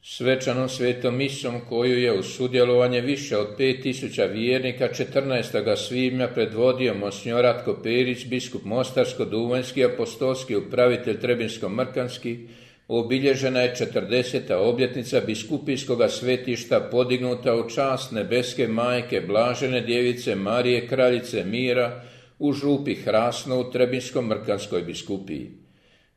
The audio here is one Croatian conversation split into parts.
Svečanom svetom misom koju je uz sudjelovanje više od 5000 vjernika 14. svibnja predvodio monsignor Ratko Perić, biskup Mostarsko-Duvanjski, apostolski upravitelj Trebinsko-Mrkanski, obilježena je 40. obljetnica biskupijskoga svetišta podignuta u čast nebeske majke Blažene djevice Marije kraljice mira u župi Hrasno u Trebinsko-Mrkanskoj biskupiji.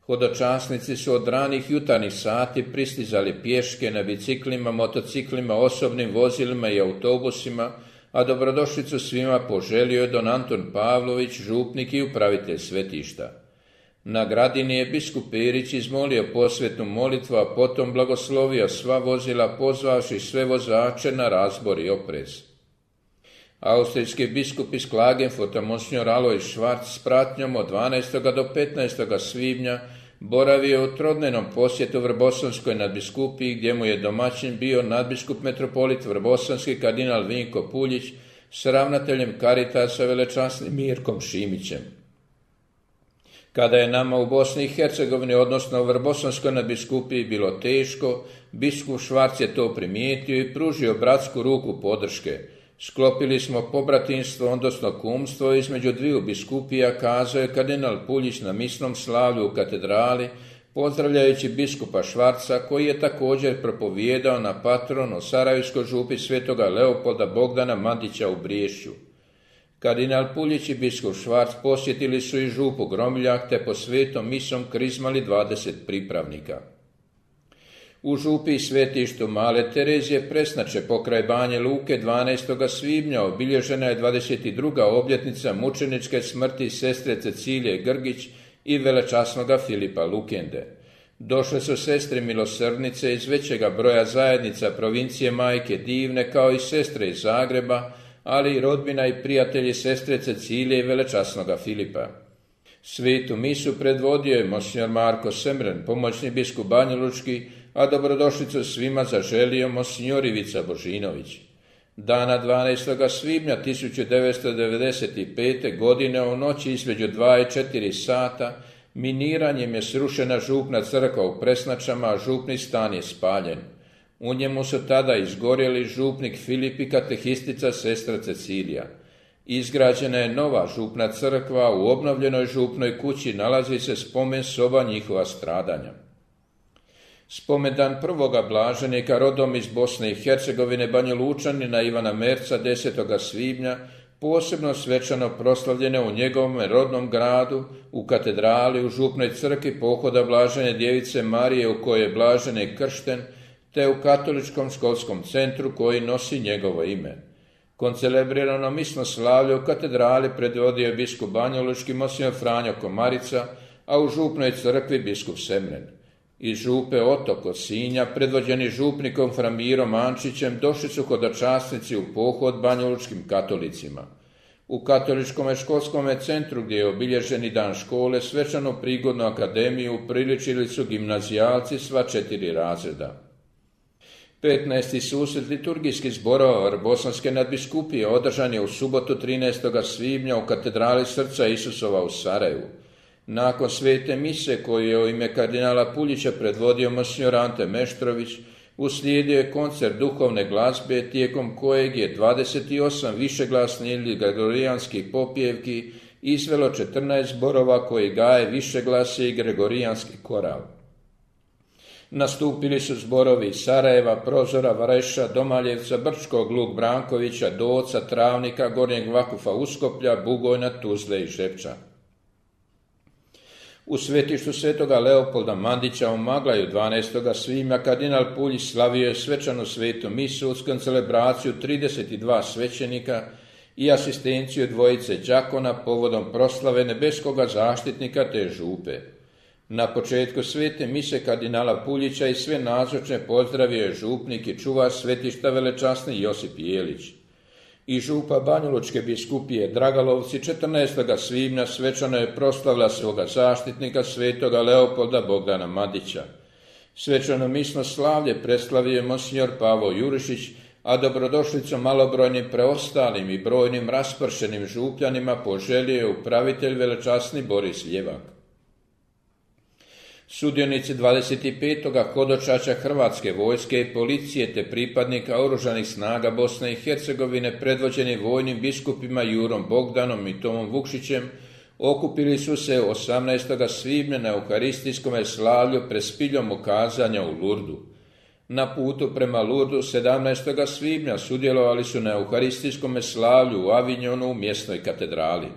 Hodočasnici su od ranih jutarnjih sati pristizali pješke, na biciklima, motociklima, osobnim vozilima i autobusima, a dobrodošlicu svima poželio je don Anton Pavlović, župnik i upravitelj svetišta. Na gradini je biskup Perić izmolio posvetnu molitvu, a potom blagoslovio sva vozila, pozvavši sve vozače na razbor i oprez. Austrijski biskup iz Klagenfurta monsignor Alojz Švarc s pratnjom od 12. do 15. svibnja boravio u trodnevnom posjetu Vrbosonskoj nadbiskupiji, gdje mu je domaćin bio nadbiskup metropolit Vrbosanski kardinal Vinko Puljić s ravnateljem Caritasa velečasnim Mirkom Šimićem. Kada je nama u Bosni i Hercegovini, odnosno u Vrbosanskoj nadbiskupiji, bilo teško, biskup Švarc je to primijetio i pružio bratsku ruku podrške. Sklopili smo pobratinstvo, odnosno kumstvo između dviju biskupija, kazao je kardinal Puljić na misnom slavlju u katedrali, pozdravljajući biskupa Švarca, koji je također propovijedao na patronu Sarajevskoj župi svetoga Leopolda Bogdana Mandića u Briješću. Kardinal Puljić i biskup Švarc posjetili su i župu Gromiljak, te po svetom misom krizmali 20 pripravnika. U župi i svetištu Male Terezije Presnače pokraj Banje Luke 12. svibnja obilježena je 22. obljetnica mučeničke smrti sestre Cecilije Grgić i velečasnoga Filipa Lukende. Došle su sestre milosrdnice iz većega broja zajednica provincije Majke Divne, kao i sestre iz Zagreba, ali i rodbina i prijatelji sestre Cecilije i velečasnoga Filipa. Svetu misu predvodio je monsignor Marko Semren, pomoćni biskup banjalučki, a dobrodošlicu svima zaželio monsignor Ivica Božinović. Dana 12. svibnja 1995. godine u noći između 2 i 4 sata miniranjem je srušena župna crkva u Presnačama, a župni stan je spaljen. U njemu su tada izgorjeli župnik Filip i katehistica sestra Cecilija. Izgrađena je nova župna crkva, u obnovljenoj župnoj kući nalazi se spomen soba njihova stradanja. Spomendan prvoga blaženika rodom iz Bosne i Hercegovine Banjalučanina Ivana Merca 10. svibnja posebno svečano proslavljene u njegovom rodnom gradu, u katedrali, u župnoj crkvi pohoda Blažene djevice Marije u kojoj je blaženi kršten, te u katoličkom školskom centru koji nosi njegovo ime. Koncelebrirano misno slavlje u katedrali predvodio je biskup banjalučki monsignor Franjo Komarica, a u župnoj crkvi biskup Semren. Iz župe Otok od Sinja, predvođeni župnikom Framirom Ančićem, došli su hodočasnici u pohod banjalučkim katolicima. U katoličkom školskom centru, gdje je obilježeni dan škole, svečanu prigodnu akademiju upriličili su gimnazijalci sva 4 razreda. 15. susret liturgijskih zborova Vrbosanske nadbiskupije održan je u subotu 13. svibnja u katedrali Srca Isusova u Sarajevu. Nakon svete mise koju je u ime kardinala Puljića predvodio monsignor Ante Meštrović, uslijedio je koncert duhovne glazbe, tijekom kojeg je 28 višeglasnih ili gregorijanskih popjevki izvelo 14 zborova koji gaje višeglasje i gregorijanski koral. Nastupili su zborovi iz Sarajeva, Prozora, Vareša, Domaljevca, Brčkog, Luk Brankovića, Doca, Travnika, Gornjeg Vakufa, Uskoplja, Bugojna, Tuzle i Žepča. U svetištu svetoga Leopolda Mandića u Maglaju 12. svibnja kardinal Puljić slavio je svečanu svetu misu uz koncelebraciju 32 svećenika i asistenciju dvojice đakona povodom proslave nebeskoga zaštitnika te župe. Na početku svete mise kardinala Puljića i sve nazočne pozdravio je župnik i čuvar svetišta velečasni Josip Jelić. I župa banjalučke biskupije Dragalovci 14. svibnja svečano je proslavila svoga zaštitnika svetoga Leopolda Bogdana Mandića. Svečano misno slavlje preslavio je monsignor Pavo Jurišić, a dobrodošlicu malobrojnim preostalim i brojnim raspršenim župljanima poželio je upravitelj velečasni Boris Ljevak. Sudionici 25. hodočašća Hrvatske vojske i policije te pripadnika Oružanih snaga Bosne i Hercegovine predvođeni vojnim biskupima Jurom Bogdanom i Tomom Vukšićem okupili su se 18. svibnja na euharistijskom slavlju pred spiljom ukazanja u Lurdu. Na putu prema Lurdu 17. svibnja sudjelovali su na euharistijskom slavlju u Avignonu u mjesnoj katedrali.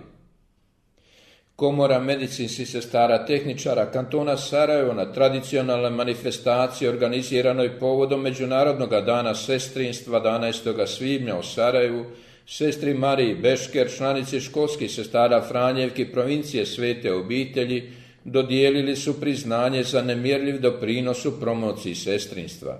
Komora medicinskih sestara tehničara kantona Sarajevo na tradicionalnoj manifestaciji organiziranoj povodom Međunarodnog dana sestrinstva 11. svibnja u Sarajevu, sestri Mariji Bešker, članici školskih sestara Franjevki provincije Svete obitelji, dodijelili su priznanje za nemjerljiv doprinos u promociji sestrinstva.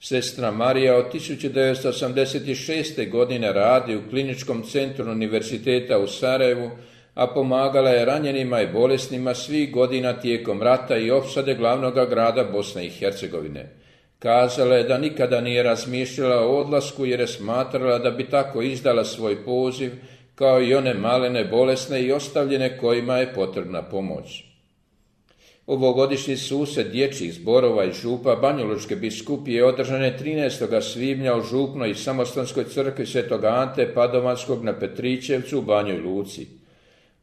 Sestra Marija od 1986. godine radi u kliničkom centru Univerziteta u Sarajevu, a pomagala je ranjenima i bolesnima svih godina tijekom rata i opsade glavnog grada Bosne i Hercegovine. Kazala je da nikada nije razmišljala o odlasku jer je smatrala da bi tako izdala svoj poziv kao i one malene bolesne i ostavljene kojima je potrebna pomoć. Ovogodišnji susret dječjih zborova i župa Banjalučke biskupije održan je 13. svibnja u župnoj i samostanskoj crkvi Svetog Ante Padovanskog na Petričevcu u Banjoj Luci.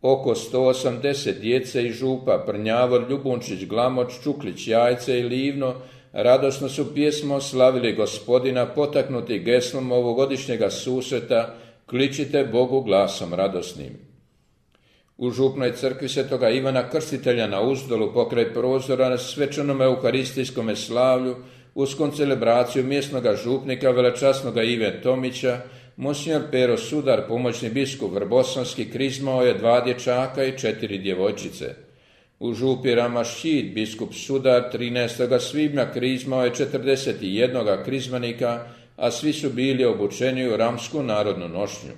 Oko 180 djece i župa Prnjavor, Ljubunčić, Glamoč, Čuklić, Jajce i Livno radosno su pjesmom slavili Gospodina potaknuti geslom ovogodišnjega susreta Kličite Bogu glasom radosnim. U župnoj crkvi Svetoga Ivana Krstitelja na Uzdolu pokraj prozora na svečanom euharistijskom slavlju uz koncelebraciju mjesnoga župnika velečasnoga Ive Tomića, monsignor Pero Sudar, pomoćni biskup Vrbosanski, krizmao je 2 dječaka i 4 djevojčice. U župi Ramašćid biskup Sudar 13. svibnja krizmao je 41 krizmanika, a svi su bili obučeni u ramsku narodnu nošnju.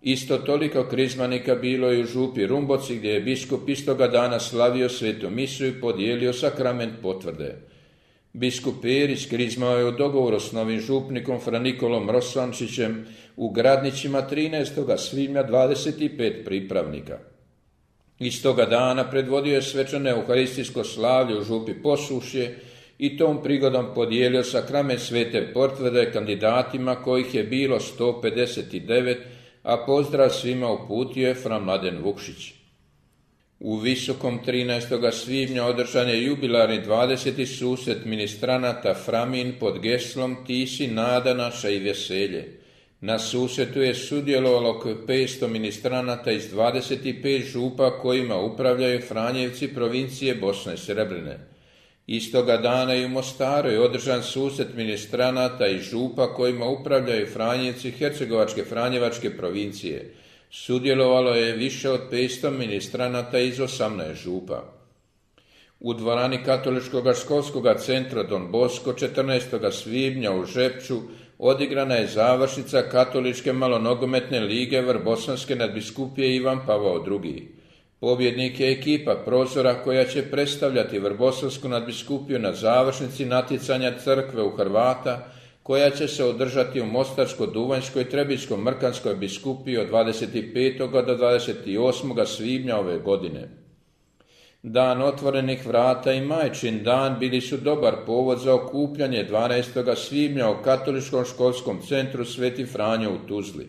Isto toliko krizmanika bilo je u župi Rumboci gdje je biskup istoga dana slavio svetu misu i podijelio sakrament potvrde. Biskup Perić krizmao je u dogovoru s novim župnikom Fra Nikolom Rosvančićem u Gradnićima 13. svibnja 25 pripravnika. Istoga dana predvodio je svečano euharistijsko slavlje u župi Posušje i tom prigodom podijelio sakrament svete potvrde kandidatima kojih je bilo 159, a pozdrav svima uputio je fra Mladen Vukšić. U Visokom 13. svibnja održan je jubilarni 20. susret ministranata Framin pod geslom Ti si nada naša i veselje. Na susretu je sudjelovalo oko 500 ministranata iz 25 župa kojima upravljaju Franjevci provincije Bosne i Srebrene. Istoga dana i u Mostaru je održan susret ministranata i župa kojima upravljaju Franjevci Hercegovačke Franjevačke provincije. Sudjelovalo je više od 500 ministranata iz 18 župa. U dvorani Katoličkog školskog centra Don Bosco 14. svibnja u Žepču odigrana je završnica Katoličke malonogometne lige Vrbosanske nadbiskupije Ivan Pavao II. Pobjednik je ekipa Prozora koja će predstavljati Vrbosansku nadbiskupiju na završnici natjecanja crkve u Hrvata koja će se održati u Mostarsko-Duvanjskoj i Trebičko-Mrkanskoj biskupiji od 25. do 28. svibnja ove godine. Dan otvorenih vrata i Majčin dan bili su dobar povod za okupljanje 12. svibnja u Katoličkom školskom centru Sveti Franjo u Tuzli.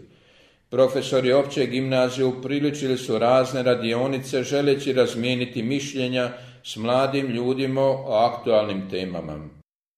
Profesori opće gimnazije upriličili su razne radionice želeći razmijeniti mišljenja s mladim ljudima o aktualnim temama.